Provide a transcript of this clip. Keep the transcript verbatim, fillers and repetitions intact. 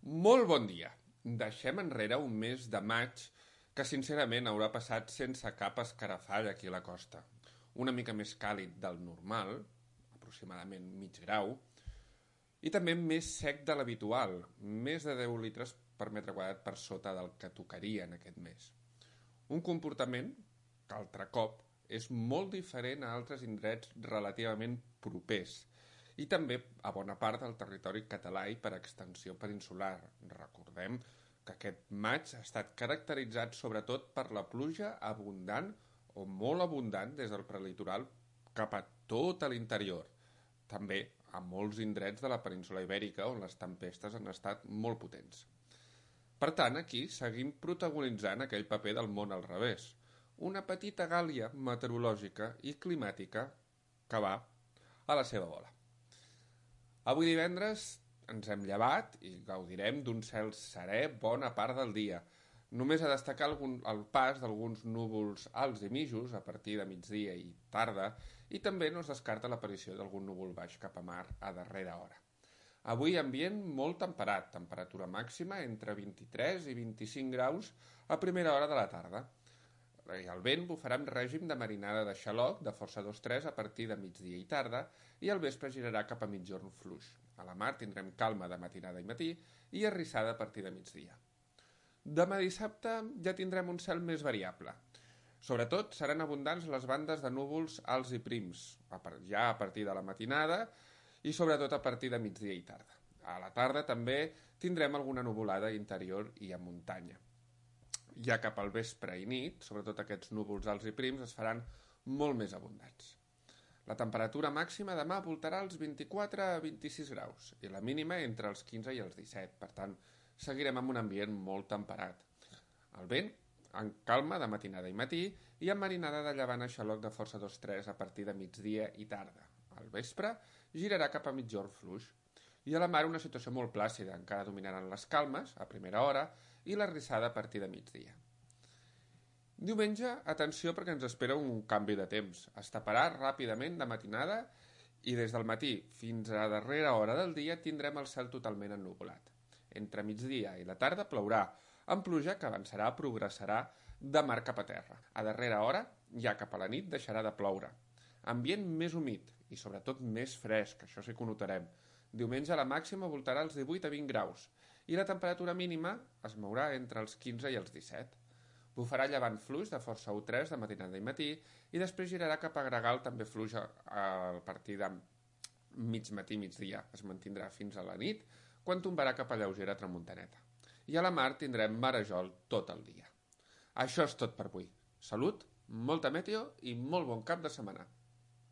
Molt bon dia. Deixem enrere un mes de maig que sincerament haurà passat sense cap escarafall aquí a la costa. Una mica més càlid del normal, aproximadament mig grau, i també més sec de l'habitual, més de deu litres per metre quadrat per sota del que tocaria en aquest mes. Un comportament que, altre cop, és molt diferent a altres indrets relativament propers i també a bona part del territori català i per extensió peninsular. Recordem que aquest maig ha estat caracteritzat sobretot per la pluja abundant o molt abundant des del prelitoral cap a tot l'interior. També a molts indrets de la península Ibèrica on les tempestes han estat molt potents. Per tant, aquí seguim protagonitzant aquell paper del món al revés, una petita gàlia meteorològica i climàtica que va a la seva bola. Avui divendres ens hem llevat i gaudirem d'un cel serè bona part del dia. Només a destacar algun, el pas d'alguns núvols alts i mitjos a partir de migdia i tarda i també no es descarta l'aparició d'algun núvol baix cap a mar a darrera hora. Avui ambient molt temperat, temperatura màxima entre vint-i-tres i vint-i-cinc graus a primera hora de la tarda. I el vent bufarà amb règim de marinada de xaloc de força dos tres a partir de migdia i tarda i al vespre girarà cap a migjorn fluix. A la mar tindrem calma de matinada i matí i arrissada a partir de migdia. Demà dissabte ja tindrem un cel més variable. Sobretot seran abundants les bandes de núvols alts i prims, ja a partir de la matinada i sobretot a partir de migdia i tarda. A la tarda també tindrem alguna nuvolada interior i a muntanya. Ja cap al vespre i nit, sobretot aquests núvols alts i prims es faran molt més abundants. La temperatura màxima demà voltarà als vint-i-quatre a vint-i-sis graus i la mínima entre els quinze i els disset, per tant, seguirem amb un ambient molt temperat. El vent, en calma de matinada i matí i amb marinada de llevant a xaloc de força dos tres a partir de migdia i tarda. Al vespre girarà cap a migjorn fluix. I a la mar una situació molt plàcida, encara dominaran les calmes a primera hora i la rissada a partir de migdia. Diumenge, atenció perquè ens espera un canvi de temps. Es taparà ràpidament de matinada i des del matí fins a darrera hora del dia tindrem el cel totalment ennuvolat. Entre migdia i la tarda plourà, amb pluja que avançarà, progressarà de mar cap a terra. A darrera hora, ja cap a la nit, deixarà de ploure. Ambient més humit i sobretot més fresc, això sí que ho notarem. Diumenge la màxima voltarà als divuit a vint graus i la temperatura mínima es mourà entre els quinze i els disset. Bufarà llevant fluix de força u tres de matinada i matí i després girarà cap a gregal també fluix a partir de mig matí, migdia. Es mantindrà fins a la nit quan tombarà cap a lleugera tramuntaneta. I a la mar tindrem marejol tot el dia. Això és tot per avui. Salut, molta meteo i molt bon cap de setmana.